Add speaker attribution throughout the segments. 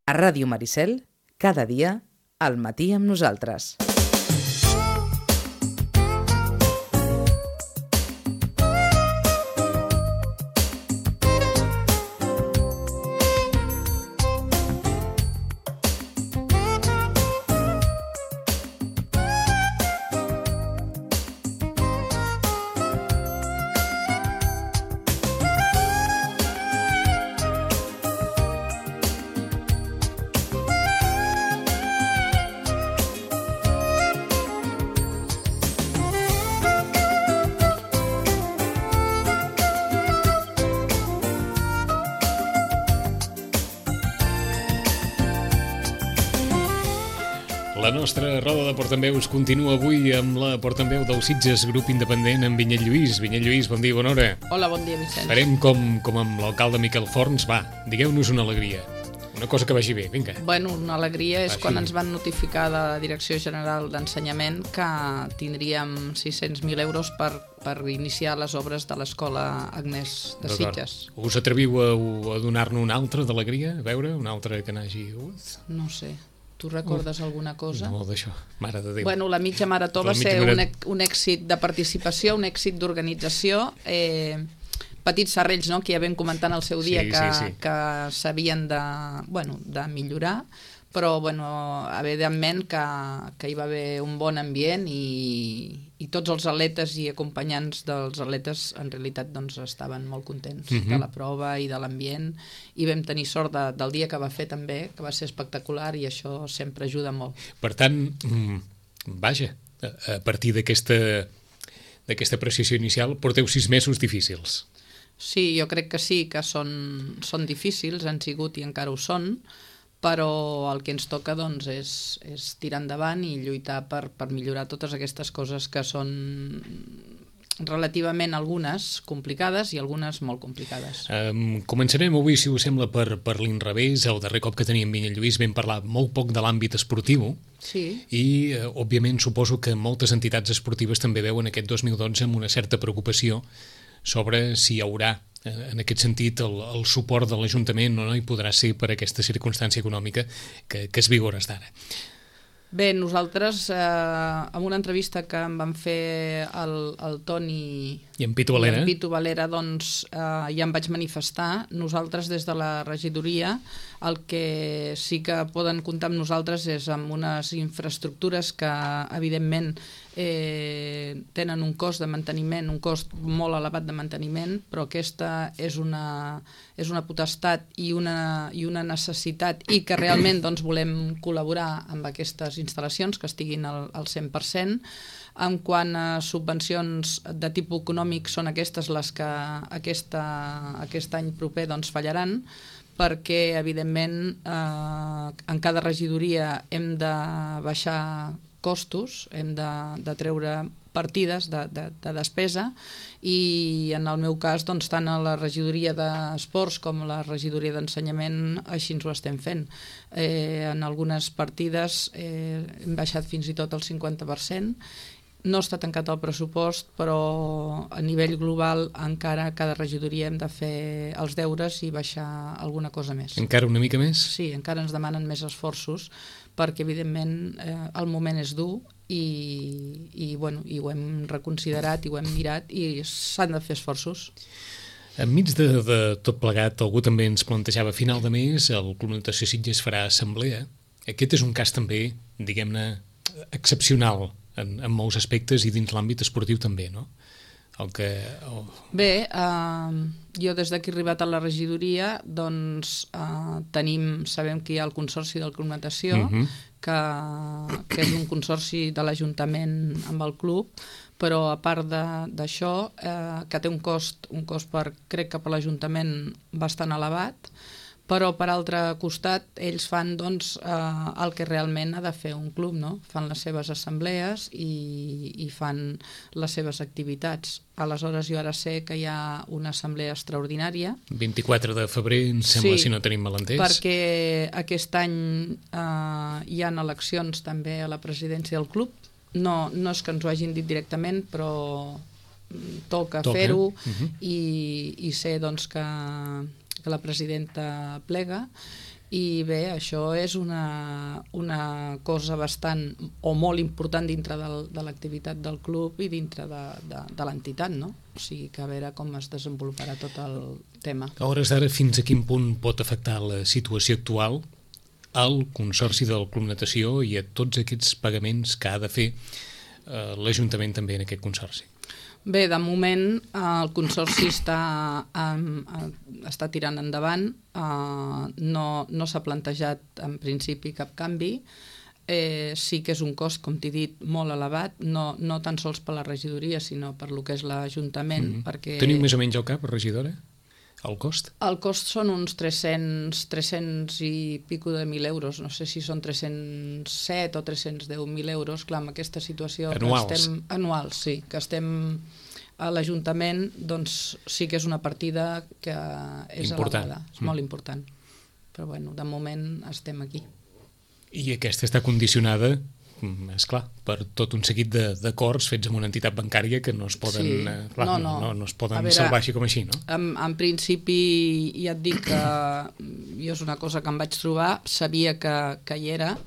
Speaker 1: A Ràdio Maricel, cada dia, al matí amb nosaltres.
Speaker 2: La nostra roda de portaveus continua avui amb la portaveu del Sitges, grup independent, amb Vinyet Lluís. Vinyet Lluís, bon dia, bona hora.
Speaker 3: Hola, bon dia, Vicenç.
Speaker 2: Farem com amb l'alcalde Miquel Forns. Va, digueu-nos una alegria. Una cosa que vagi bé, vinga.
Speaker 3: Bueno, una alegria és quan ens van notificar de la Direcció General d'Ensenyament que tindríem 600.000 euros per iniciar les obres de l'escola Agnès de Sitges.
Speaker 2: Us atreviu a donar-ne una altra d'alegria? A veure, una altra que n'hagi hagut?
Speaker 3: No sé. Tu recordes alguna cosa?
Speaker 2: No, d'això, mare de Déu.
Speaker 3: Bueno, la mitja marató va ser un èxit de participació, un èxit d'organització. Petits serrells, no?, que ja vam comentar en el seu dia que s'havien de millorar, però evidentment que hi va haver un bon ambient i tots els atletes i acompanyants dels atletes en realitat estaven molt contents de la prova i de l'ambient, i vam tenir sort del dia que va fer també, que va ser espectacular, i això sempre ajuda molt.
Speaker 2: Per tant, vaja, a partir d'aquesta apreciació inicial porteu 6 mesos difícils.
Speaker 3: Sí, jo crec que sí, que són difícils, han sigut i encara ho són, però el que ens toca és tirar endavant i lluitar per millorar totes aquestes coses que són relativament algunes complicades i algunes molt complicades.
Speaker 2: Començarem avui, si us sembla, per l'inrevés. El darrer cop que teníem Vinyet Lluís vam parlar molt poc de l'àmbit esportiu, i òbviament suposo que moltes entitats esportives també veuen aquest 2012 amb una certa preocupació sobre si hi haurà, en aquest sentit, el suport de l'Ajuntament o no hi podrà ser per aquesta circumstància econòmica que es viu hores d'ara.
Speaker 3: Bé, nosaltres, en una entrevista que em van fer el Toni
Speaker 2: i en Pitu
Speaker 3: Valera, ja em vaig manifestar. Nosaltres, des de la regidoria, el que sí que poden comptar amb nosaltres és amb unes infraestructures que, evidentment, tenen un cost de manteniment, un cost molt elevat de manteniment, però aquesta és una potestat i una necessitat, i que realment volem col·laborar amb aquestes instal·lacions que estiguin al 100%. En quant a subvencions de tipus econòmic, són aquestes les que aquest any proper fallaran, perquè, evidentment, en cada regidoria hem de baixar costos, hem de treure partides de despesa, i en el meu cas, tant a la regidoria d'esports com a la regidoria d'ensenyament així ens ho estem fent. En algunes partides hem baixat fins i tot el 50%. No està tancat el pressupost, però a nivell global encara cada regidoria hem de fer els deures i baixar alguna cosa més.
Speaker 2: Encara una mica més?
Speaker 3: Sí, encara ens demanen més esforços, perquè evidentment el moment és dur i ho hem reconsiderat i ho hem mirat i s'han de fer esforços.
Speaker 2: Enmig de tot plegat, algú també ens plantejava a final de mes el Club Natació Sitges farà assemblea. Aquest és un cas també, diguem-ne, excepcional en molts aspectes i dins l'àmbit esportiu també, no?
Speaker 3: Bé, jo des que he arribat a la regidoria sabem que hi ha el Consorci del Club Natació, que és un consorci de l'Ajuntament amb el club, però a part d'això, que té un cost crec que per l'Ajuntament bastant elevat, però per altre costat ells fan el que realment ha de fer un club, no? Fan les seves assemblees i fan les seves activitats. Aleshores jo ara sé que hi ha una assemblea extraordinària.
Speaker 2: 24 de febrer, em sembla, si no tenim malentès.
Speaker 3: Perquè aquest any hi ha eleccions també a la presidència del club. No és que ens ho hagin dit directament, però toca fer-ho i sé que la presidenta plega, I bé, això és una cosa bastant o molt important dintre de l'activitat del club i dintre de l'entitat, no? O sigui que a veure com es desenvoluparà tot el tema.
Speaker 2: A hores d'ara, fins a quin punt pot afectar la situació actual al Consorci del Club Natació i a tots aquests pagaments que ha de fer l'Ajuntament també en aquest Consorci?
Speaker 3: Bé, de moment el Consorci està tirant endavant, no s'ha plantejat en principi cap canvi, sí que és un cost, com t'he dit, molt elevat, no tan sols per la regidoria, sinó per lo que és l'Ajuntament.
Speaker 2: Teniu més o menys al cap, regidora, el cost?
Speaker 3: El cost són uns 300 i pico de 1.000 euros, no sé si són 307 o 310.000 euros, clar, amb aquesta situació...
Speaker 2: Anuals?
Speaker 3: Anuals, sí, que estem a l'Ajuntament, doncs sí que és una partida que és elevada, és molt important. Però bueno, de moment estem aquí.
Speaker 2: I aquesta està condicionada, esclar, per tot un seguit d'acords fets amb una entitat bancària que no es poden, no es poden salvar així com així, no?
Speaker 3: En principi, ja et dic que jo és una cosa que em vaig trobar, sabia que hi era,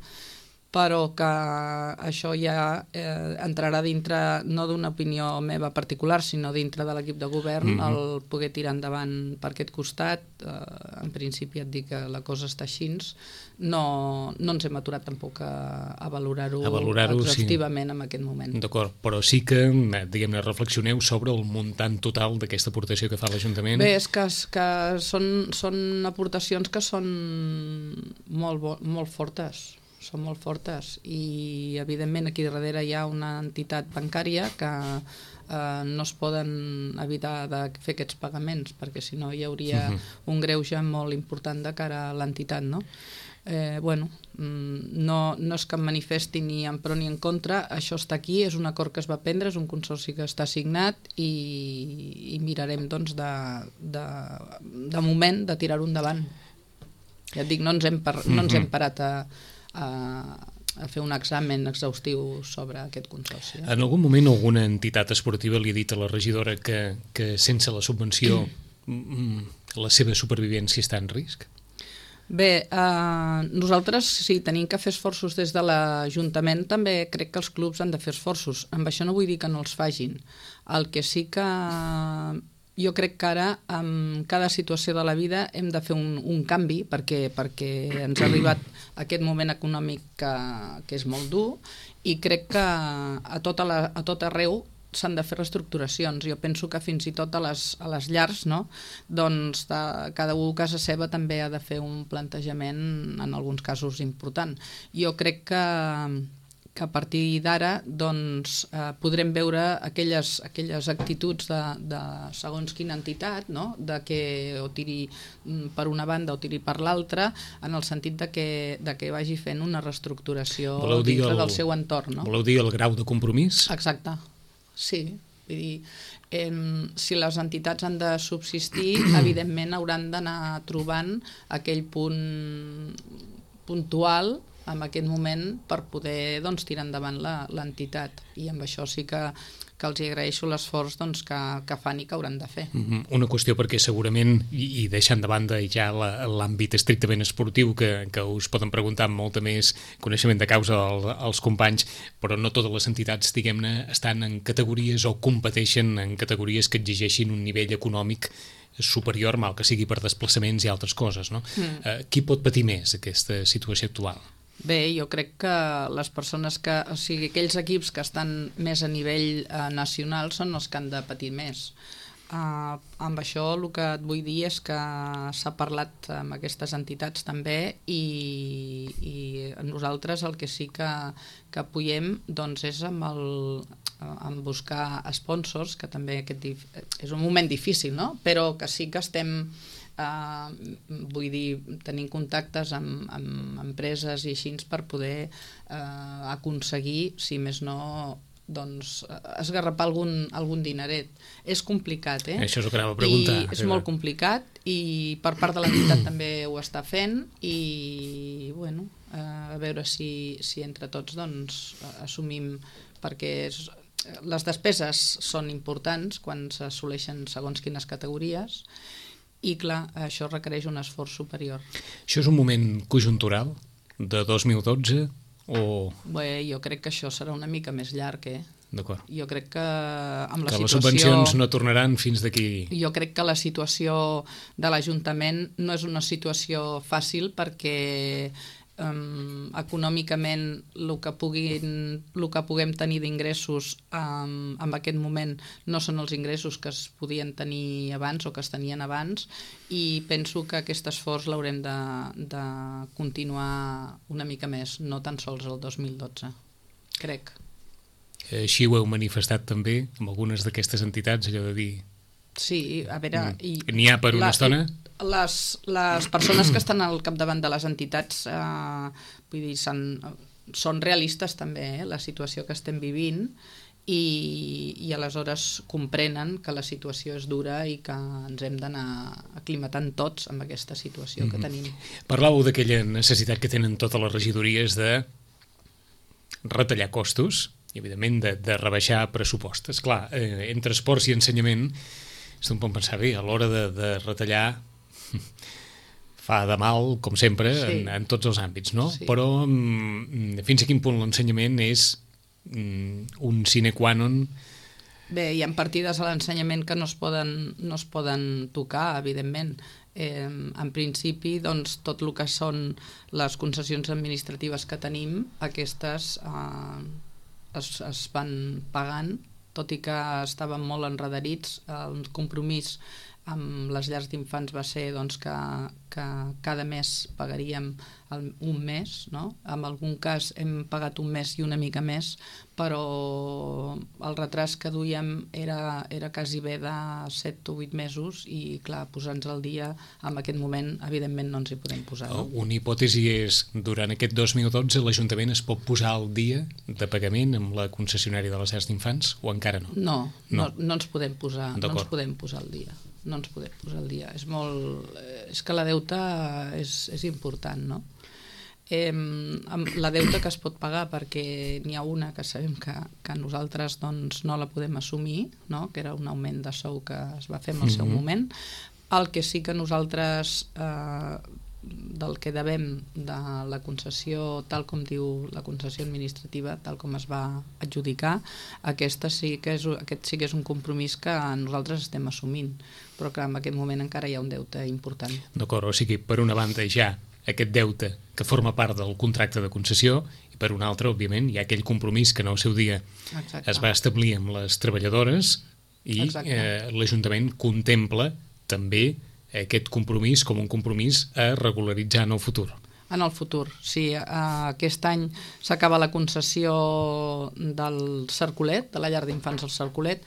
Speaker 3: però que això ja entrarà dintre, no d'una opinió meva particular, sinó dintre de l'equip de govern, el poder tirar endavant per aquest costat. En principi et dic que la cosa està així, no ens hem aturat tampoc a valorar-ho exhaustivament en aquest moment.
Speaker 2: D'acord, però sí que, diguem-ne, reflexioneu sobre el muntant total d'aquesta aportació que fa l'Ajuntament.
Speaker 3: Bé, és que són aportacions que són molt fortes. Són molt fortes i evidentment aquí darrere hi ha una entitat bancària que no es poden evitar de fer aquests pagaments perquè si no hi hauria un greuge molt important de cara a l'entitat, no? No és que em manifesti ni en pro ni en contra, això està aquí, és un acord que es va prendre, és un consorci que està signat i mirarem doncs de moment de tirar-ho endavant. Ja et dic, no ens hem parat a fer un examen exhaustiu sobre aquest consorci.
Speaker 2: En algun moment alguna entitat esportiva li ha dit a la regidora que sense la subvenció la seva supervivència està en risc?
Speaker 3: Bé, nosaltres sí, tenim que fer esforços des de l'Ajuntament, també crec que els clubs han de fer esforços. Amb això no vull dir que no els facin. El que sí que jo crec que ara, en cada situació de la vida, hem de fer un canvi perquè ens ha arribat aquest moment econòmic que és molt dur i crec que a tot arreu s'han de fer reestructuracions. Jo penso que fins i tot a les llars, no? Doncs cada un a casa seva també ha de fer un plantejament, en alguns casos, important. Jo crec que a partir d'ara doncs, podrem veure aquelles actituds de segons quina entitat, no? De que o tiri per una banda o tiri per l'altra, en el sentit de que vagi fent una reestructuració dintre del seu entorn. No?
Speaker 2: Voleu dir el grau de compromís?
Speaker 3: Exacte. Sí, vull dir, si les entitats han de subsistir, evidentment hauran d'anar trobant aquell punt puntual en aquest moment per poder tirar endavant l'entitat. I amb això sí que els agraeixo l'esforç que fan i que hauran de fer.
Speaker 2: Una qüestió perquè segurament, i deixant de banda ja l'àmbit estrictament esportiu, que us poden preguntar amb molta més coneixement de causa als companys, però no totes les entitats, diguem-ne, estan en categories o competeixen en categories que exigeixin un nivell econòmic superior, mal que sigui per desplaçaments i altres coses, no? Qui pot patir més aquesta situació actual?
Speaker 3: Bé, jo crec que les persones aquells equips que estan més a nivell nacional són els que han de patir més. Amb això el que et vull dir és que s'ha parlat amb aquestes entitats també i nosaltres el que sí que apoyem doncs és amb buscar sponsors, que també és un moment difícil, no? Però que sí que estem tenint contactes amb empreses i així per poder aconseguir, si més no, doncs esgarrapar algun dineret. És complicat,
Speaker 2: Això és el que anava a preguntar.
Speaker 3: És molt complicat i per part de l'entitat també ho està fent i, bueno, a veure si entre tots doncs assumim, perquè les despeses són importants quan s'assoleixen segons quines categories i clar, això requereix un esforç superior.
Speaker 2: Això és un moment conjuntural de 2012 o...
Speaker 3: Bé, jo crec que això serà una mica més llarg,
Speaker 2: D'acord.
Speaker 3: Jo crec que amb la
Speaker 2: que
Speaker 3: situació...
Speaker 2: les subvencions no tornaran fins d'aquí...
Speaker 3: Jo crec que la situació de l'Ajuntament no és una situació fàcil perquè econòmicament el que puguem tenir d'ingressos en aquest moment no són els ingressos que es podien tenir abans o que es tenien abans, i penso que aquest esforç l'haurem de continuar una mica més, no tan sols el 2012, crec.
Speaker 2: Així ho heu manifestat també amb algunes d'aquestes entitats, allò de dir...
Speaker 3: Sí, a veure...
Speaker 2: N'hi ha per una estona?
Speaker 3: Les persones que estan al capdavant de les entitats vull dir, són realistes també, la situació que estem vivint, i aleshores comprenen que la situació és dura i que ens hem d'anar aclimatant tots amb aquesta situació que tenim.
Speaker 2: Parlàveu d'aquella necessitat que tenen totes les regidories de retallar costos i, evidentment, de rebaixar pressupostos. Clar, entre esports i ensenyament, es pot pensar bé, a l'hora de retallar fa de mal, com sempre, sí, en tots els àmbits, no? Sí. Però fins a quin punt l'ensenyament és un sine qua non?
Speaker 3: Bé, hi ha partides a l'ensenyament que no es poden tocar, evidentment. En principi, doncs, tot el que són les concessions administratives que tenim, aquestes es van pagant, tot i que estàvem molt enredarits. El compromís amb les llars d'infants va ser doncs, que cada mes pagaríem un mes, no? En algun cas hem pagat un mes i una mica més, però el retras que duíem era quasi bé de 7 o 8 mesos i, clar, posar-nos al dia en aquest moment, evidentment, no ens hi podem posar. No?
Speaker 2: Una hipòtesi és, durant aquest 2012 l'Ajuntament es pot posar al dia de pagament amb la concessionària de les llars d'infants o encara no?
Speaker 3: No ens podem posar, al dia. No ens podem posar al dia. És que la deuta és important, no? La deuta que es pot pagar, perquè n'hi ha una que sabem que nosaltres doncs, no la podem assumir, no? Que era un augment de sou que es va fer en el seu moment. El que sí que nosaltres del que devem de la concessió, tal com diu la concessió administrativa, tal com es va adjudicar, aquest sí que és un compromís que nosaltres estem assumint, però que en aquest moment encara hi ha un deute important.
Speaker 2: D'acord, o sigui, per una banda ja aquest deute que forma part del contracte de concessió i per una altra, òbviament, hi ha aquell compromís que en el seu dia es va establir amb les treballadores i l'Ajuntament contempla també aquest compromís com un compromís a regularitzar en el futur.
Speaker 3: En el futur, sí. Aquest any s'acaba la concessió del Cercolet, de la llar d'infants del Cercolet,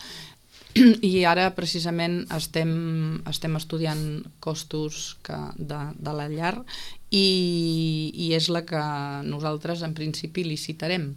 Speaker 3: i ara precisament estem estudiant costos de la llar i és la que nosaltres en principi licitarem.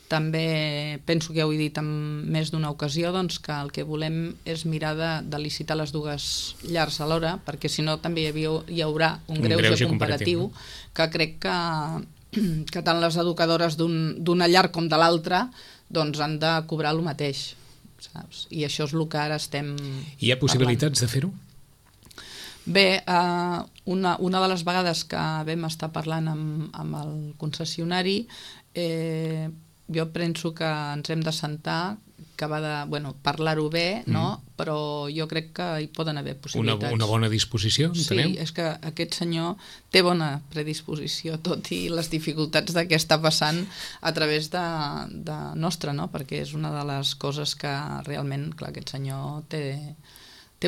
Speaker 3: També penso que ja ho he dit en més d'una ocasió, doncs, que el que volem és mirar de licitar les dues llars alhora, perquè si no també hi haurà un greuge comparatiu, que crec que tant les educadores d'una llar com de l'altra doncs han de cobrar el mateix, saps? I això és el que ara estem
Speaker 2: Hi ha possibilitats de fer-ho?
Speaker 3: Bé, una de les vegades que vam estar parlant amb el concessionari, jo penso que ens hem de sentar, que va de parlar-ho bé, no? Però jo crec que hi poden haver possibilitats.
Speaker 2: Una bona disposició, entenem?
Speaker 3: Sí, és que aquest senyor té bona predisposició, tot i les dificultats que està passant a través de nostra, no? Perquè és una de les coses que realment, clar, aquest senyor té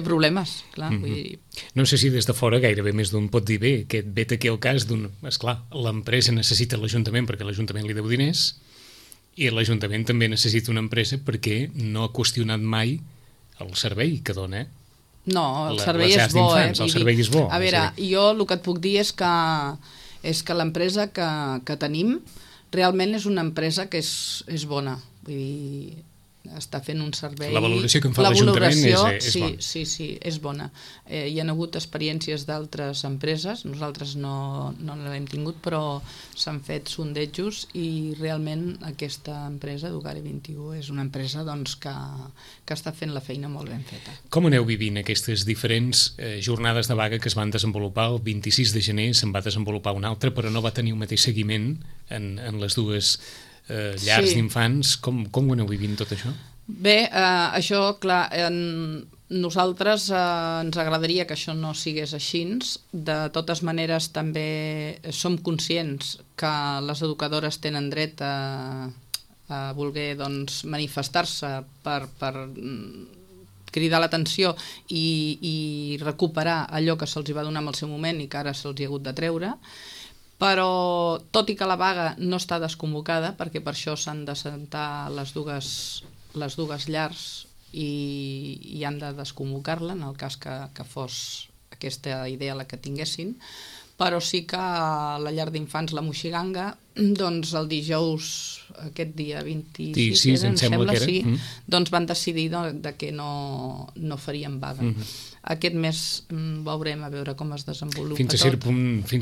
Speaker 3: problemes, clar. Vull dir...
Speaker 2: No sé si des de fora gairebé més d'un pot dir bé, que vet aquí el cas d'un... Esclar, l'empresa necessita l'Ajuntament perquè l'Ajuntament li deu diners, i l'Ajuntament també necessita una empresa perquè no ha qüestionat mai el servei que dona.
Speaker 3: No, el servei és bo.
Speaker 2: El servei és bo.
Speaker 3: A veure, jo el que et puc dir és que l'empresa que tenim realment és una empresa que és bona. Vull dir, està fent un servei...
Speaker 2: La valoració que en fa l'Ajuntament és bona.
Speaker 3: Sí, és bona. Hi ha hagut experiències d'altres empreses, nosaltres no l'hem tingut, però s'han fet sondejos i realment aquesta empresa, Educare 21, és una empresa que està fent la feina molt ben feta.
Speaker 2: Com aneu vivint aquestes diferents jornades de vaga que es van desenvolupar? El 26 de gener se'n va desenvolupar una altra, però no va tenir un mateix seguiment en les dues llars d'infants. Com ho aneu vivint tot això?
Speaker 3: Bé, això, clar, nosaltres ens agradaria que això no sigués així. De totes maneres, també som conscients que les educadores tenen dret a voler manifestar-se per cridar l'atenció i recuperar allò que se'ls va donar en el seu moment i que ara se'ls ha hagut de treure. Però, tot i que la vaga no està desconvocada, perquè per això s'han de sentar les dues llars i han de desconvocar-la en el cas que fos aquesta idea la que tinguessin, però sí que la llar d'infants La Moixiganga, doncs el dijous, aquest dia 26, em sembla que era, sí, doncs van decidir que no farien vaga. Aquest mes veurem a veure com es desenvolupa
Speaker 2: fins a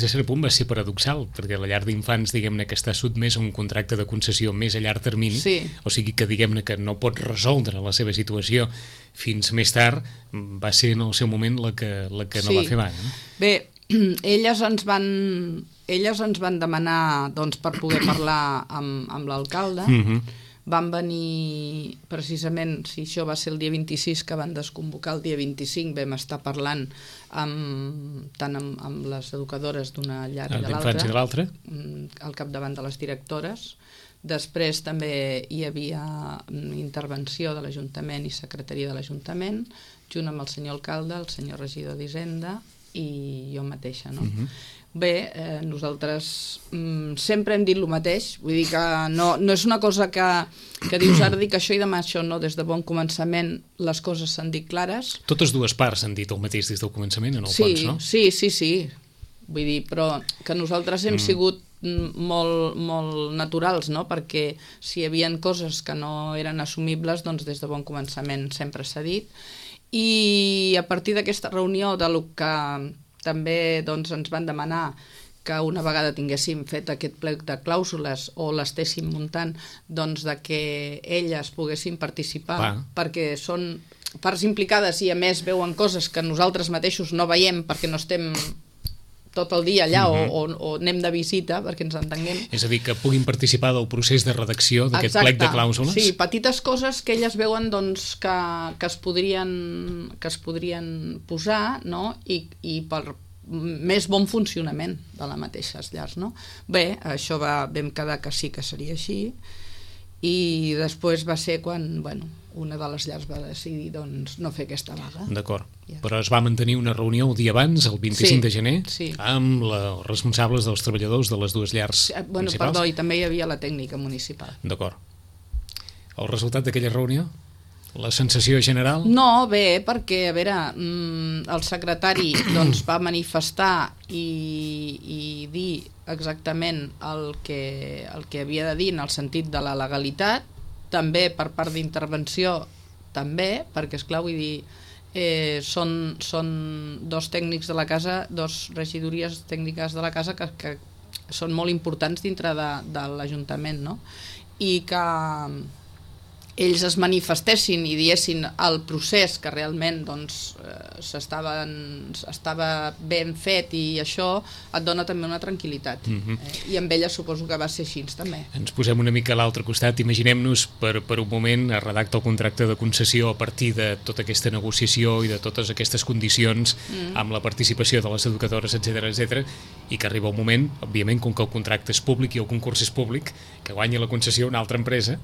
Speaker 2: cert punt va ser paradoxal, perquè la llar d'infants, diguem-ne, que està sotmès a un contracte de concessió més a llarg termini, o sigui que, diguem-ne, que no pot resoldre la seva situació fins més tard, va ser en el seu moment la que no va fer vaga.
Speaker 3: Bé, elles ens van demanar per poder parlar amb l'alcalde. Van venir precisament, si això va ser el dia 26 que van desconvocar, el dia 25 vam estar parlant tant amb les educadores d'una llar i de l'altra, al capdavant de les directores. Després també hi havia intervenció de l'Ajuntament i secretaria de l'Ajuntament, junt amb el senyor alcalde, el senyor regidor d'Hisenda i jo mateixa, no? Bé, nosaltres sempre hem dit el mateix, vull dir que no és una cosa que dius ara dic això i demà això, no, des de bon començament les coses s'han dit clares.
Speaker 2: Totes dues parts han dit el mateix des del començament, en el fons, no?
Speaker 3: Sí, vull dir, però que nosaltres hem sigut molt naturals, no? Perquè si hi havia coses que no eren assumibles, doncs des de bon començament sempre s'ha dit. I a partir d'aquesta reunió de lo que també ens van demanar que una vegada tinguéssim fet aquest plec de clàusules o l'estéssim muntant, doncs que elles poguessin participar, perquè són parts implicades i a més veuen coses que nosaltres mateixos no veiem perquè no estem tot el dia allà o anem de visita perquè ens entenguem.
Speaker 2: És a dir, que puguin participar del procés de redacció d'aquest plec de clàusules?
Speaker 3: Sí, petites coses que elles veuen que es podrien posar, no? I per més bon funcionament de les mateixes llars, no? Bé, això vam quedar que sí que seria així i després va ser quan, una de les llars va decidir no fer aquesta vaga.
Speaker 2: D'acord, però es va mantenir una reunió el dia abans, el 25 de gener, amb els responsables dels treballadors de les dues llars municipals?
Speaker 3: Perdó, i també hi havia la tècnica municipal.
Speaker 2: D'acord. El resultat d'aquella reunió? La sensació general?
Speaker 3: No, bé, perquè, a veure, el secretari va manifestar i dir exactament el que havia de dir en el sentit de la legalitat, també per part d'intervenció, també, perquè, esclar, vull dir, són dos tècnics de la casa, dos regidories tècniques de la casa que són molt importants dintre de l'Ajuntament, no? I que ells es manifestessin i diessin el procés que realment estava ben fet i això et dona també una tranquil·litat. I amb ella suposo que va ser així també.
Speaker 2: Ens posem una mica a l'altre costat. Imaginem-nos per un moment es redacta el contracte de concessió a partir de tota aquesta negociació i de totes aquestes condicions amb la participació de les educadores, etc, i que arriba un moment, òbviament, com que el contracte és públic i el concurs és públic, que guanya la concessió una altra empresa,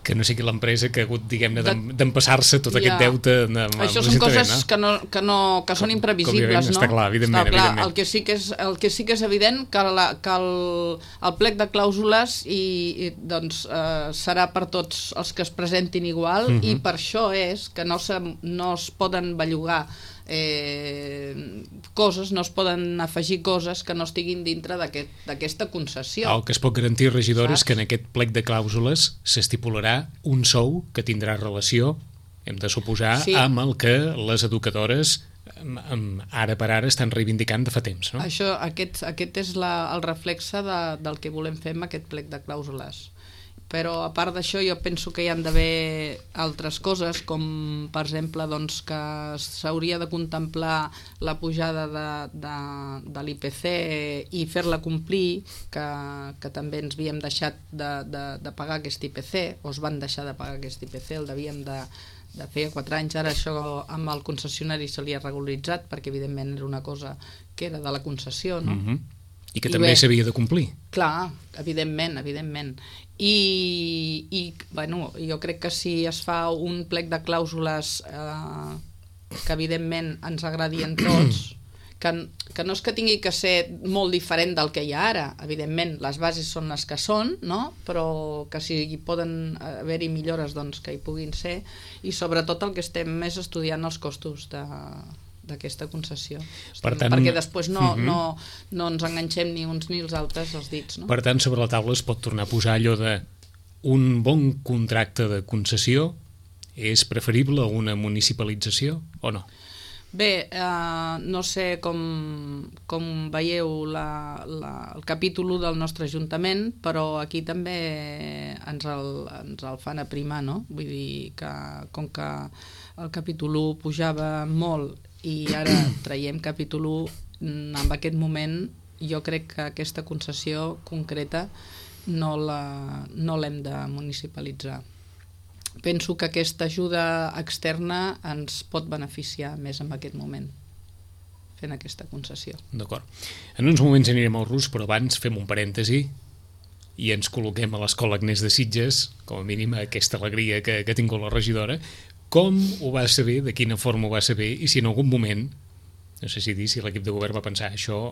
Speaker 2: que no sigui l'empresa que ha hagut, diguem-ne, d'empassar-se tot aquest deute amb
Speaker 3: això són coses que són imprevisibles, no?
Speaker 2: Està clar, evidentment.
Speaker 3: El que sí que és evident que el plec de clàusules serà per tots els que es presentin igual i per això és que no es poden bellugar coses, no es poden afegir coses que no estiguin dintre d'aquesta concessió.
Speaker 2: El que es pot garantir, regidor, és que en aquest plec de clàusules s'estipularà un sou que tindrà relació, hem de suposar, amb el que les educadores ara per ara estan reivindicant de fa temps, no?
Speaker 3: Aquest és el reflexe del que volem fer amb aquest plec de clàusules. Però a part d'això jo penso que hi han d'haver altres coses, com per exemple doncs, que s'hauria de contemplar la pujada de l'IPC i fer-la complir, que també ens havíem deixat de pagar aquest IPC, o es van deixar de pagar aquest IPC, el devíem de feia 4 anys, ara això amb el concessionari se li ha regularitzat, perquè evidentment era una cosa que era de la concessió, no?
Speaker 2: I que també s'havia de complir.
Speaker 3: Clar, evidentment. I bueno, jo crec que si es fa un plec de clàusules que evidentment ens agradien tots, que no és que tingui que ser molt diferent del que hi ha ara, evidentment les bases són les que són, no? Però que si hi poden haver-hi millores doncs que hi puguin ser, i sobretot el que estem més estudiant els costos d'aquesta concessió, perquè després no ens enganxem ni uns ni els altres els dits, no?
Speaker 2: Per tant, sobre la taula es pot tornar a posar allò de un bon contracte de concessió és preferible a una municipalització o no?
Speaker 3: Bé, no sé com veieu el capítol 1 del nostre Ajuntament, però aquí també ens el fan aprimar, no? Vull dir que com que el capítol 1 pujava molt i ara traiem capítol 1, en aquest moment jo crec que aquesta concessió concreta no l'hem de municipalitzar. Penso que aquesta ajuda externa ens pot beneficiar més en aquest moment, fent aquesta concessió.
Speaker 2: D'acord. En uns moments anirem al Rus, però abans fem un parèntesi i ens col·loquem a l'Escola Agnès de Sitges, com a mínim aquesta alegria que ha tingut la regidora. Com ho va saber, de quina forma ho va saber, i si en algun moment, no sé si l'equip de govern va pensar això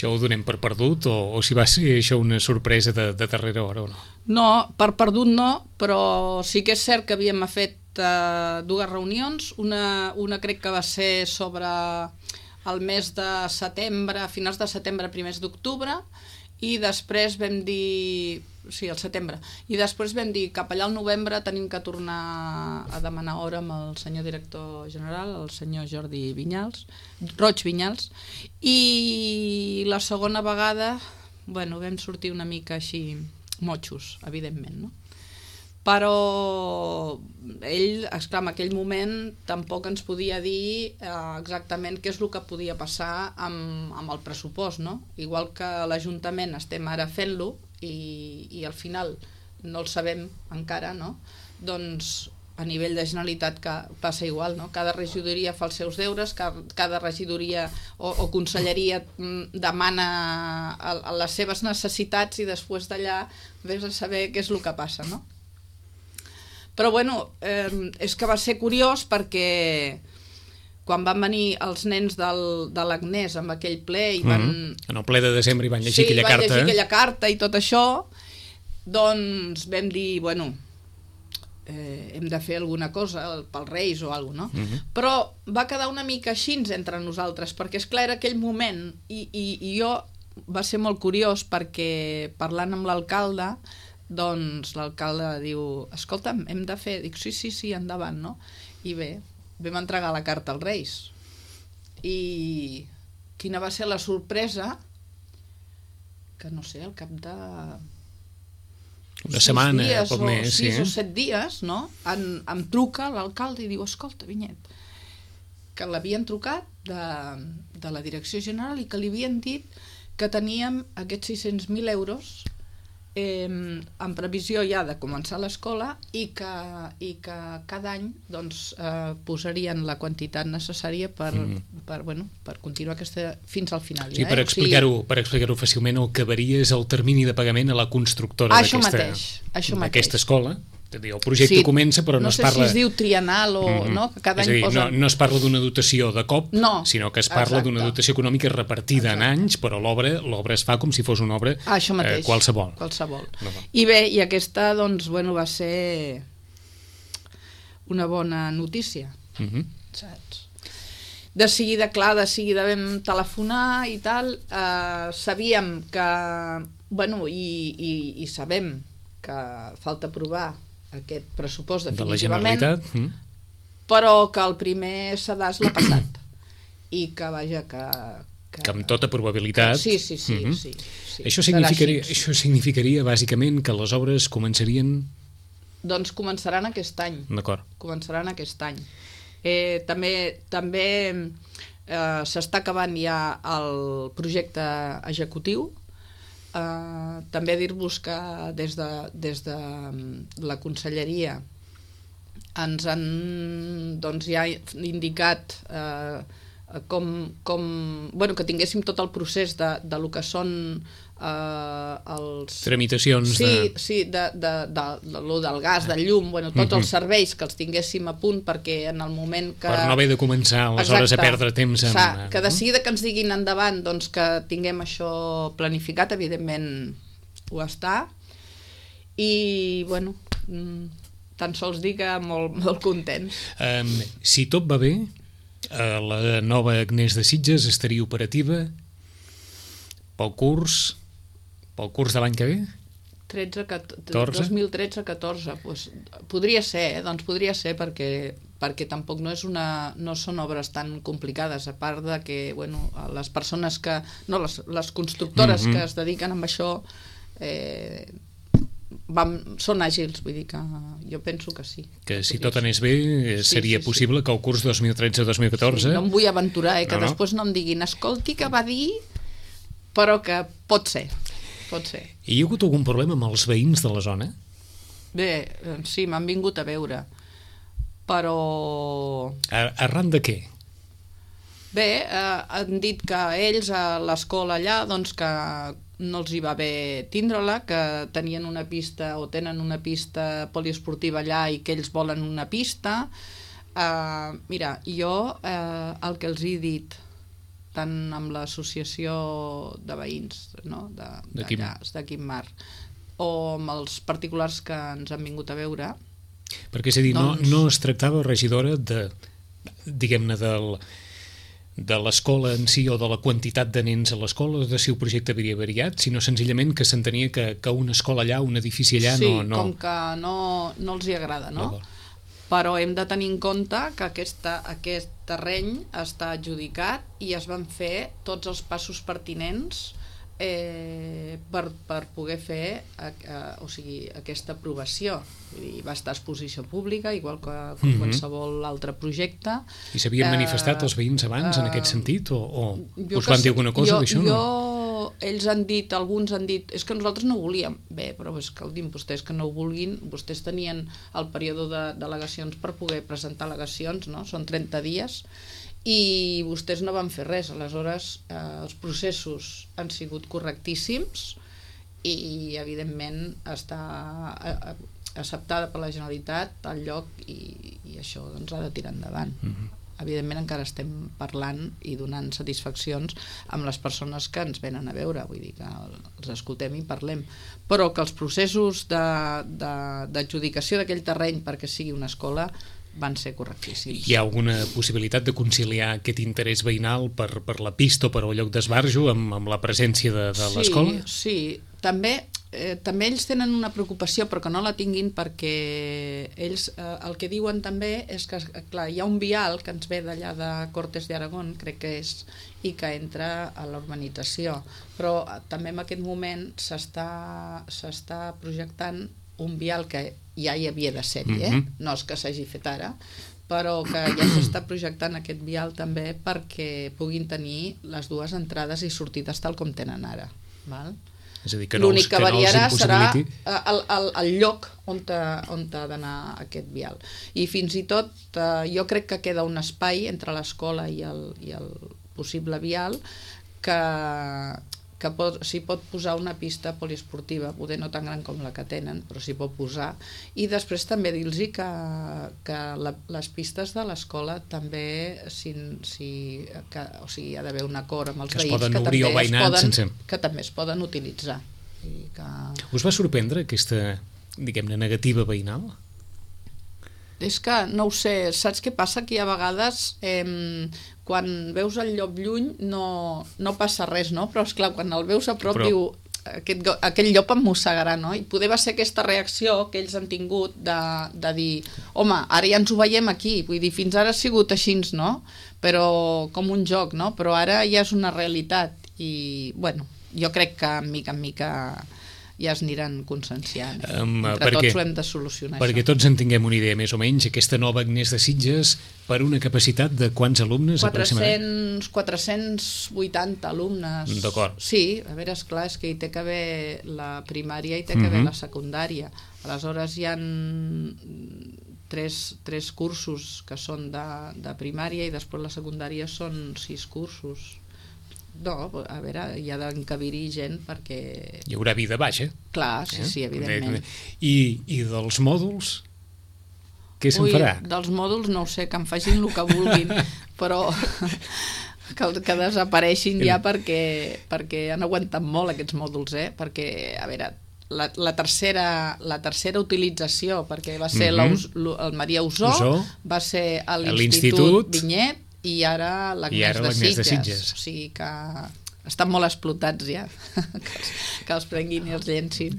Speaker 2: ho donem per perdut, o si va ser això una sorpresa de darrera hora o no?
Speaker 3: No, per perdut no, però sí que és cert que havíem fet 2 reunions, una crec que va ser sobre el mes de setembre, finals de setembre, primers d'octubre, i després vam dir, sí, al setembre, i després vam dir cap allà al novembre tenim que tornar a demanar hora amb el senyor director general, el senyor Jordi Roig Vinyals, i la segona vegada, bueno, vam sortir una mica així motxos, evidentment, no? Però ell, esclar, en aquell moment tampoc ens podia dir exactament què és el que podia passar amb el pressupost, no? Igual que l'Ajuntament estem ara fent-lo i al final no el sabem encara, no? Doncs a nivell de Generalitat passa igual, no? Cada regidoria fa els seus deures, cada regidoria o conselleria demana les seves necessitats i després d'allà vés a saber què és el que passa, no? Però bueno, és que va ser curiós perquè quan van venir els nens de l'Agnès amb aquell ple i van...
Speaker 2: En el ple de desembre hi van llegir aquella carta. Sí, van llegir
Speaker 3: aquella carta i tot això, doncs vam dir, bueno, hem de fer alguna cosa pels Reis o alguna cosa, no? Però va quedar una mica així entre nosaltres, perquè esclar era aquell moment i jo va ser molt curiós perquè parlant amb l'alcalde, doncs l'alcalde diu, escolta'm, hem de fer, dic, sí, endavant, no? I bé, vam entregar la carta als Reis i quina va ser la sorpresa que no sé, al cap de
Speaker 2: una setmana,
Speaker 3: dies,
Speaker 2: poc més,
Speaker 3: 6 o 7 dies, no? Em truca l'alcalde i diu, escolta, Vinyet, que l'havien trucat de la direcció general i que li havien dit que teníem aquests 600.000 euros en previsió ja de començar l'escola i que cada any doncs, posarien la quantitat necessària per continuar aquesta fins al final.
Speaker 2: Sí, per explicar-ho fàcilment, el que varia és el termini de pagament a la constructora d'aquesta escola. El projecte comença, però no es parla...
Speaker 3: No sé si es diu trienal o no, que cada any posa...
Speaker 2: No es parla d'una dotació de cop, sinó que es parla d'una dotació econòmica repartida en anys, però l'obra es fa com si fos una obra qualsevol. I bé, i aquesta doncs, va ser una bona notícia, saps?
Speaker 3: de seguida vam telefonar i tal, sabíem que, bueno, i sabem que falta aprovar aquest pressupost definitivament,
Speaker 2: de la Generalitat,
Speaker 3: però que el primer sedàs l'ha passat i que, vaja, que
Speaker 2: amb tota probabilitat...
Speaker 3: Sí.
Speaker 2: Això significaria bàsicament que les obres començarien...
Speaker 3: Doncs començaran aquest any.
Speaker 2: D'acord.
Speaker 3: Començaran aquest any. També s'està acabant ja el projecte executiu. També dir-vos que des de la conselleria ens han ja indicat que tinguéssim tot el procés de lo que són els...
Speaker 2: tramitacions
Speaker 3: lo del gas, del llum, tots els serveis que els tinguéssim a punt perquè en el moment que...
Speaker 2: Per no haver de començar aleshores a perdre temps
Speaker 3: que de seguida que ens diguin endavant doncs que tinguem això planificat, evidentment ho està, i tan sols dir que molt contents.
Speaker 2: Si tot va bé, la nova Agnès de Sitges estaria operativa pel curs de l'any que ve?
Speaker 3: 2013-14, doncs podria ser, perquè tampoc no són obres tan complicades, a part de que les persones que... les constructores que es dediquen a això són àgils, vull dir que jo penso que sí.
Speaker 2: Que si tot anés bé seria possible que el curs 2013-2014...
Speaker 3: No em vull aventurar, que després no em diguin escolti que va dir, però que pot ser.
Speaker 2: I hi ha hagut algun problema amb els veïns de la zona?
Speaker 3: Bé, sí, m'han vingut a veure, però...
Speaker 2: Arran de què?
Speaker 3: Bé, han dit que ells a l'escola allà, doncs que no els hi va bé tindre-la, que tenien una pista o tenen una pista poliesportiva allà i que ells volen una pista. Mira, jo el que els he dit, tant amb l'associació de veïns de Quim-Mar o amb els particulars que ens han vingut a veure...
Speaker 2: Perquè és a dir, no es tractava, regidora, diguem-ne, de l'escola en si o de la quantitat de nens a l'escola, de si el projecte havia variat, sinó senzillament que s'entenia que una escola allà, un edifici allà
Speaker 3: no... Sí, com que no els hi agrada, no? Però hem de tenir en compte que aquest terreny està adjudicat i es van fer tots els passos pertinents per poder fer aquesta aprovació. Va estar a exposició pública, igual que qualsevol altre projecte.
Speaker 2: I s'havien manifestat els veïns abans en aquest sentit? O us van dir alguna cosa d'això?
Speaker 3: Ells han dit, alguns han dit, és que nosaltres no volíem. Bé, però és que vostès que no ho vulguin, vostès tenien el període de delegacions per poder presentar al·legacions, no? Són 30 dies, i vostès no van fer res. Aleshores els processos han sigut correctíssims i evidentment està acceptada per la Generalitat al lloc i això doncs ha de tirar endavant. Evidentment encara estem parlant i donant satisfaccions amb les persones que ens venen a veure, vull dir que els escoltem i parlem, però que els processos d'adjudicació d'aquell terreny perquè sigui una escola van ser correctíssims.
Speaker 2: Hi ha alguna possibilitat de conciliar aquest interès veïnal per la pista o per el lloc d'esbarjo amb la presència de l'escola?
Speaker 3: Sí, també ells tenen una preocupació, però que no la tinguin, perquè ells el que diuen també és que, clar, hi ha un vial que ens ve d'allà de Cortes de Aragón, crec que és, i que entra a la urbanització, però també en aquest moment s'està projectant un vial que ja hi havia de sèrie, no és que s'hagi fet ara, però que ja s'està projectant aquest vial també perquè puguin tenir les dues entrades i sortides tal com tenen ara, val?
Speaker 2: És a dir, que
Speaker 3: l'únic que variarà serà el lloc on ha d'anar aquest vial. I fins i tot jo crec que queda un espai entre l'escola i el possible vial que s'hi pot posar una pista poliesportiva, poder no tan gran com la que tenen, però s'hi pot posar. I després també dir-los que les pistes de l'escola també ha d'haver un acord amb els veïns que també es poden utilitzar.
Speaker 2: Us va sorprendre aquesta, diguem-ne, negativa veïnal?
Speaker 3: És que, no ho sé, saps què passa? Que a vegades, quan veus el llop lluny, no passa res, no? Però, esclar, quan el veus a prop, diu, aquell llop em mossegarà, no? I poder va ser aquesta reacció que ells han tingut de dir, home, ara ja ens ho veiem aquí, vull dir, fins ara ha sigut així, no? Però com un joc, no? Però ara ja és una realitat i, bueno, jo crec que en mica ja es aniran conscienciant. Entre tots ho hem de solucionar.
Speaker 2: Perquè tots en tinguem una idea més o menys, aquesta nova Agnès de Sitges, per una capacitat de quants alumnes?
Speaker 3: 480 alumnes.
Speaker 2: D'acord.
Speaker 3: Sí, a veure, esclar, és que hi té que haver la primària i té que haver la secundària. Aleshores hi ha tres cursos que són de primària i després la secundària són 6 cursos. No, a veure, hi ha d'encabir-hi gent perquè...
Speaker 2: Hi haurà vida baixa.
Speaker 3: Clar, sí, evidentment.
Speaker 2: I dels mòduls? Què se'n farà?
Speaker 3: Dels mòduls no ho sé, que em facin el que vulguin, però que desapareixin ja perquè han aguantat molt aquests mòduls, perquè, a veure, la tercera utilització, perquè va ser el Maria Usó, va ser l'Institut Vinyet, i ara l'Agnès de Sitges. O sigui que estan molt explotats ja, que els prenguin i els llencin.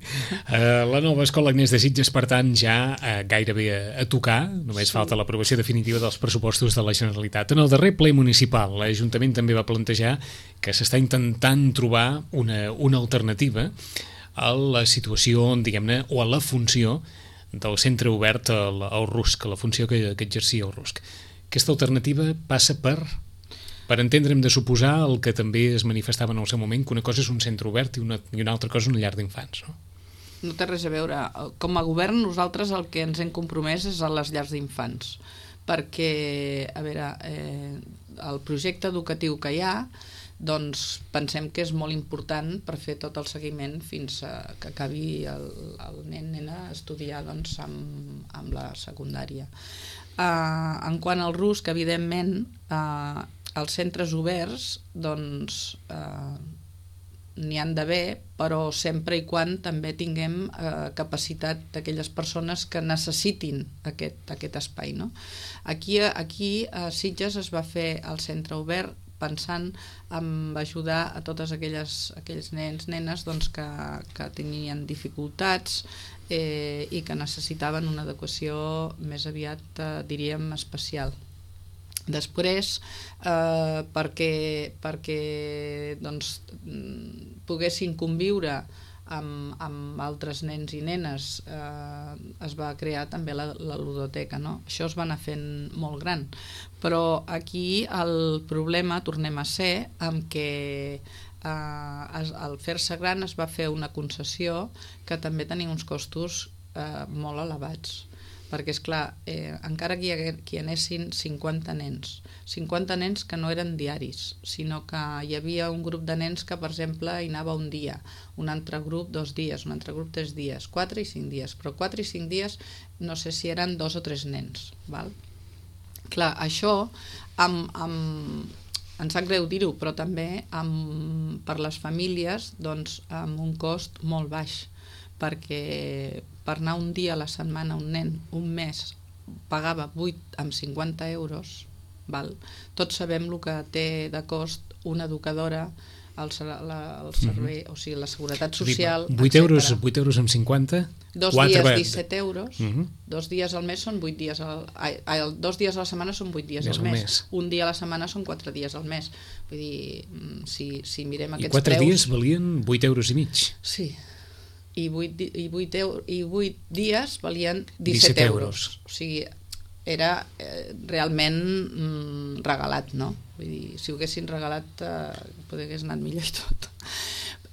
Speaker 2: La nova escola Agnès de Sitges, per tant, ja gairebé a tocar, només falta l'aprovació definitiva dels pressupostos de la Generalitat. En el darrer ple municipal, l'Ajuntament també va plantejar que s'està intentant trobar una alternativa a la situació, diguem-ne, o a la funció del centre obert al RUSC, a la funció que exercia el RUSC. Aquesta alternativa passa per entendre'm de suposar el que també es manifestava en el seu moment, que una cosa és un centre obert i una altra cosa una llar d'infants, no?
Speaker 3: No té res a veure. Com a govern, nosaltres el que ens hem compromès és a les llars d'infants, perquè, a veure, el projecte educatiu que hi ha, doncs pensem que és molt important per fer tot el seguiment fins que acabi el nen a estudiar doncs, amb la secundària. En quant al RUSC, evidentment, els centres oberts doncs, n'hi han d'haver, però sempre i quan també tinguem capacitat d'aquelles persones que necessitin aquest espai, no? Aquí a Sitges es va fer el centre obert pensant en ajudar a totes aquells nens, nenes doncs, que tenien dificultats i que necessitaven una adequació més aviat, diríem, especial. Després, perquè doncs, poguessin conviure amb altres nens i nenes, es va crear també la ludoteca, no? Això es va anar fent molt gran, però aquí el problema tornem a ser amb que al fer-se gran es va fer una concessió que també tenia uns costos molt elevats, perquè esclar, encara que hi anessin 50 nens que no eren diaris, sinó que hi havia un grup de nens que per exemple hi anava un dia, un altre grup 2 dies, un altre grup 3 dies, 4 i 5 dies, però 4 i 5 dies no sé si eren 2 o 3 nens, val? Clar, això em sap greu dir-ho, però també per les famílies doncs, amb un cost molt baix, perquè per anar un dia a la setmana un nen, un mes, pagava 8,50 euros, val? Tots sabem el que té de cost una educadora, el servei, o sigui, la seguretat social,
Speaker 2: 8 euros amb 50?
Speaker 3: 2 dies 17 euros, 2 dies al mes són 8 dies 2 dies a la setmana són 8 dies al mes, un dia a la setmana són 4 dies al mes, vull dir, si mirem aquests preus... I
Speaker 2: 4 dies valien 8 euros i mig?
Speaker 3: Sí, i 8 dies valien 17 euros, o sigui, era realment regalat, no? Vull dir, si ho haguessin regalat potser hagués anat millor i tot.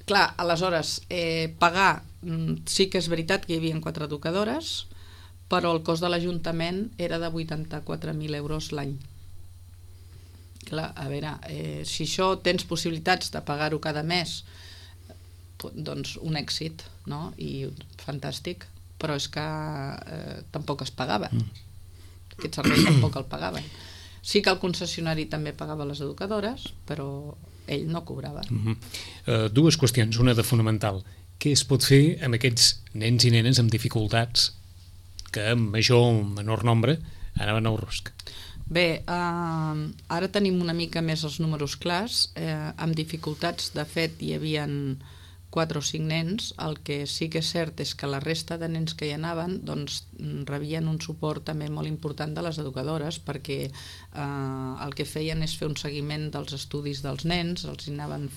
Speaker 3: Clar, aleshores, pagar, sí que és veritat que hi havia 4 educadores, però el cost de l'Ajuntament era de 84.000 euros l'any. Clar, a veure, si això tens possibilitats de pagar-ho cada mes, doncs un èxit, no? I fantàstic, però és que tampoc es pagava. Aquest servei tampoc el pagaven. Sí que el concessionari també pagava les educadores, però ell no cobrava.
Speaker 2: Dues qüestions, una de fonamental. Què es pot fer amb aquests nens i nenes amb dificultats que en major o menor nombre anaven al rusc.
Speaker 3: Bé, ara tenim una mica més els números clars, amb dificultats. De fet, hi havia 4 o 5 nens. El que sí que és cert és que la resta de nens que hi anaven doncs, rebien un suport també molt important de les educadores, perquè el que feien és fer un seguiment dels estudis dels nens, els anaven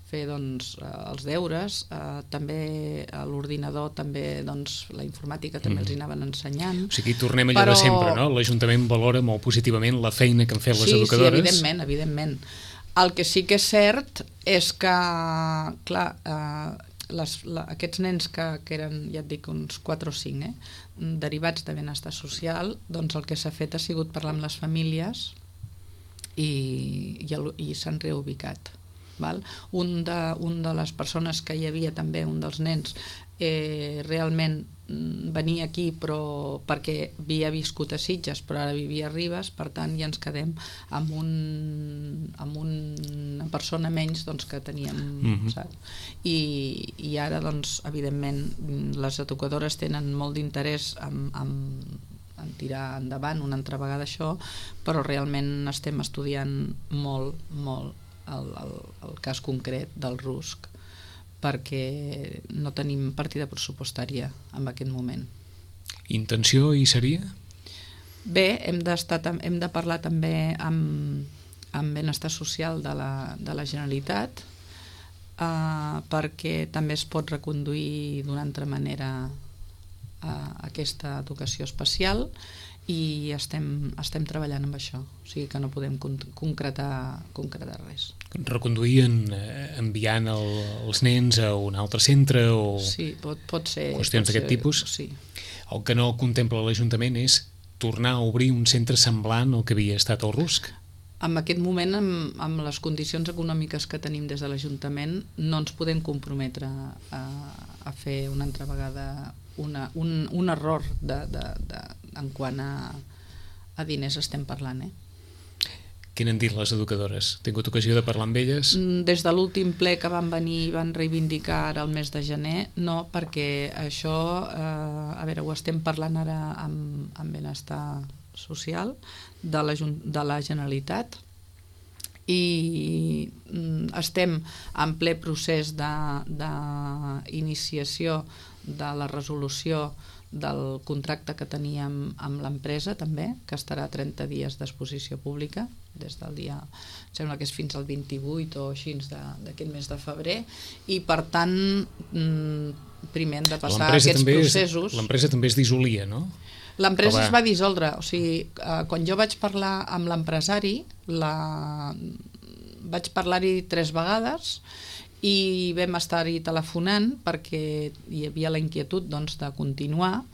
Speaker 3: fer doncs, els deures, també a l'ordinador, també doncs, la informàtica també els anaven ensenyant.
Speaker 2: O sigui, tornem allò de sempre, no? L'Ajuntament valora molt positivament la feina que han fet les educadores.
Speaker 3: Sí, evidentment. El que sí que és cert és que, clar, aquests nens que eren, ja et dic, uns 4 o 5, derivats de benestar social, doncs el que s'ha fet ha sigut parlar amb les famílies i s'han reubicat. Val? Un de les persones que hi havia també, un dels nens, realment venia aquí però perquè havia viscut a Sitges però ara vivia a Ribes, per tant ja ens quedem amb una persona menys doncs, que teníem, saps? I ara doncs evidentment les educadores tenen molt d'interès en tirar endavant una altra vegada això, però realment estem estudiant molt el cas concret del rusc, perquè no tenim partida pressupostària en aquest moment.
Speaker 2: Intenció hi seria?
Speaker 3: Bé, hem de parlar també amb benestar social de la Generalitat, perquè també es pot reconduir d'una altra manera aquesta educació especial, i estem treballant amb això, o sigui que no podem concretar res.
Speaker 2: Reconduir enviant els nens a un altre centre o
Speaker 3: sí, pot ser,
Speaker 2: qüestions d'aquest tipus?
Speaker 3: Sí.
Speaker 2: El que no contempla l'Ajuntament és tornar a obrir un centre semblant al que havia estat el rusc?
Speaker 3: En aquest moment, amb les condicions econòmiques que tenim des de l'Ajuntament, no ens podem comprometre a fer una altra vegada un error en quant a diners estem parlant.
Speaker 2: Què n'han dit les educadores? Has tingut ocasió de parlar amb elles?
Speaker 3: Des de l'últim ple que van venir i van reivindicar ara el mes de gener, no, perquè això, a veure, ho estem parlant ara amb benestar social de la Generalitat i estem en ple procés d'iniciació de la resolució del contracte que teníem amb l'empresa també, que estarà 30 dies d'exposició pública des del dia, sembla que és fins al 28 o així d'aquest mes de febrer, i per tant primer hem de passar aquests processos.
Speaker 2: L'empresa també es dissolia, no?
Speaker 3: L'empresa es va dissoldre, o sigui, quan jo vaig parlar amb l'empresari, vaig parlar-hi 3 vegades i vam estar-hi telefonant perquè hi havia la inquietud doncs, de continuar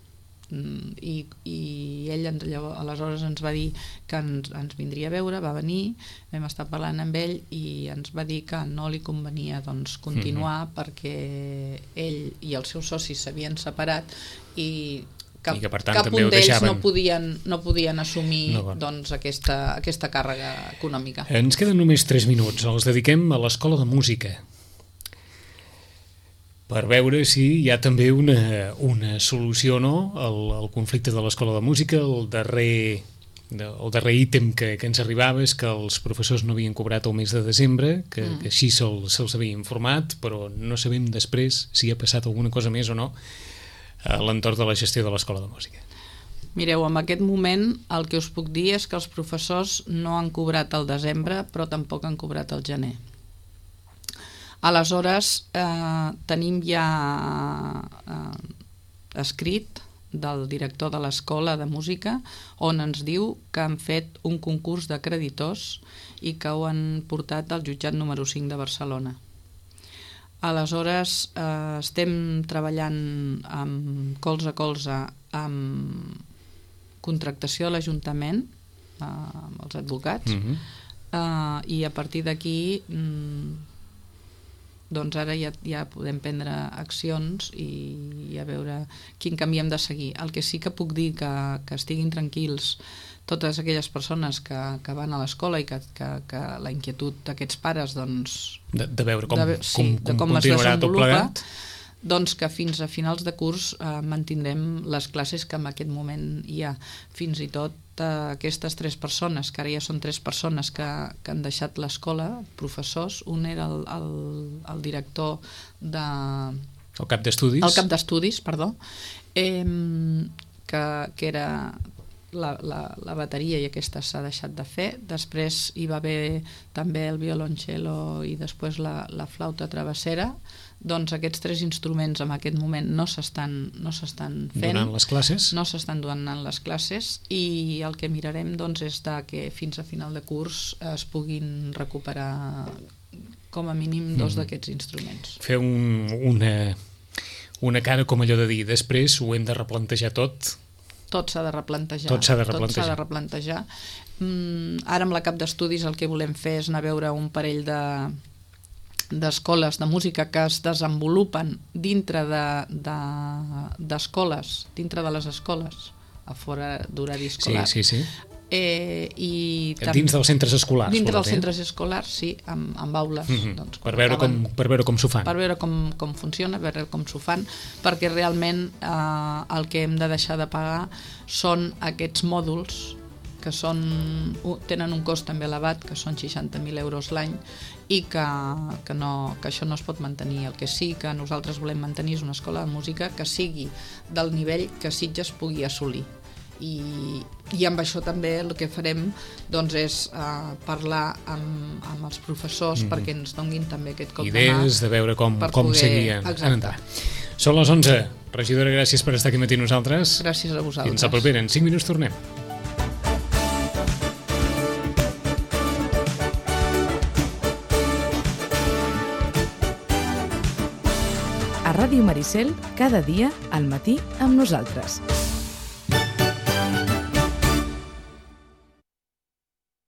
Speaker 3: i ell aleshores ens va dir que ens vindria a veure, va venir, vam estar parlant amb ell i ens va dir que no li convenia doncs, continuar perquè ell i els seus socis s'havien separat i cap un d'ells no podien assumir doncs, aquesta càrrega econòmica.
Speaker 2: Ens queden només 3 minuts, els dediquem a l'Escola de Música per veure si hi ha també una solució o no al conflicte de l'Escola de Música. El darrer ítem que ens arribava és que els professors no havien cobrat el mes de desembre, que així se'ls havia informat, però no sabem després si ha passat alguna cosa més o no a l'entorn de la gestió de l'Escola de Música.
Speaker 3: Mireu, en aquest moment el que us puc dir és que els professors no han cobrat el desembre, però tampoc han cobrat el gener. Aleshores, tenim ja escrit del director de l'Escola de Música on ens diu que han fet un concurs de creditors i que ho han portat al jutjat número 5 de Barcelona. Aleshores, estem treballant colze a colze amb contractació de l'Ajuntament, amb els advocats, i a partir d'aquí doncs ara ja podem prendre accions i a veure quin camí hem de seguir. El que sí que puc dir que estiguin tranquils totes aquelles persones que van a l'escola i que la inquietud d'aquests pares doncs,
Speaker 2: de veure com
Speaker 3: es
Speaker 2: continuarà tot plegat,
Speaker 3: doncs que fins a finals de curs mantindrem les classes que en aquest moment hi ha. Fins i tot aquestes 3 persones, que ara ja són 3 persones que han deixat l'escola, professors, un era el director de...
Speaker 2: El cap d'estudis.
Speaker 3: El cap d'estudis, perdó, que era la bateria, i aquesta s'ha deixat de fer. Després hi va haver també el violoncello i després la flauta travessera. Doncs aquests 3 instruments en aquest moment no s'estan fent.
Speaker 2: Donant les classes?
Speaker 3: No s'estan donant les classes, i el que mirarem doncs, és que fins a final de curs es puguin recuperar com a mínim 2 d'aquests instruments.
Speaker 2: Fer una cara com allò de dir, després ho hem de replantejar tot.
Speaker 3: Tot s'ha de replantejar.
Speaker 2: Tot s'ha de replantejar.
Speaker 3: Ara amb la cap d'estudis el que volem fer és anar a veure un parell d'escoles de música que es desenvolupen dintre d'escoles, dintre de les escoles, a fora d'horari escolar.
Speaker 2: Sí.
Speaker 3: I
Speaker 2: dins dels centres escolars.
Speaker 3: Dintre dels centres escolars, sí, amb aules. Doncs,
Speaker 2: per veure com s'ho fan.
Speaker 3: Per veure com funciona, per veure com s'ho fan, perquè realment el que hem de deixar de pagar són aquests mòduls que tenen un cost també elevat, que són 60.000 euros l'any, i que això no es pot mantenir. El que sí que nosaltres volem mantenir és una escola de música que sigui del nivell que Sitges pugui assolir. I amb això també el que farem doncs, és parlar amb els professors perquè ens donguin també aquest cop de mà.
Speaker 2: Idees de veure com seguir endavant. Són les 11. Regidora, gràcies per estar aquí matí nosaltres.
Speaker 3: Gràcies a vosaltres.
Speaker 2: Fins la propera. En 5 minuts tornem.
Speaker 1: A Ràdio Maricel, cada dia al matí amb nosaltres.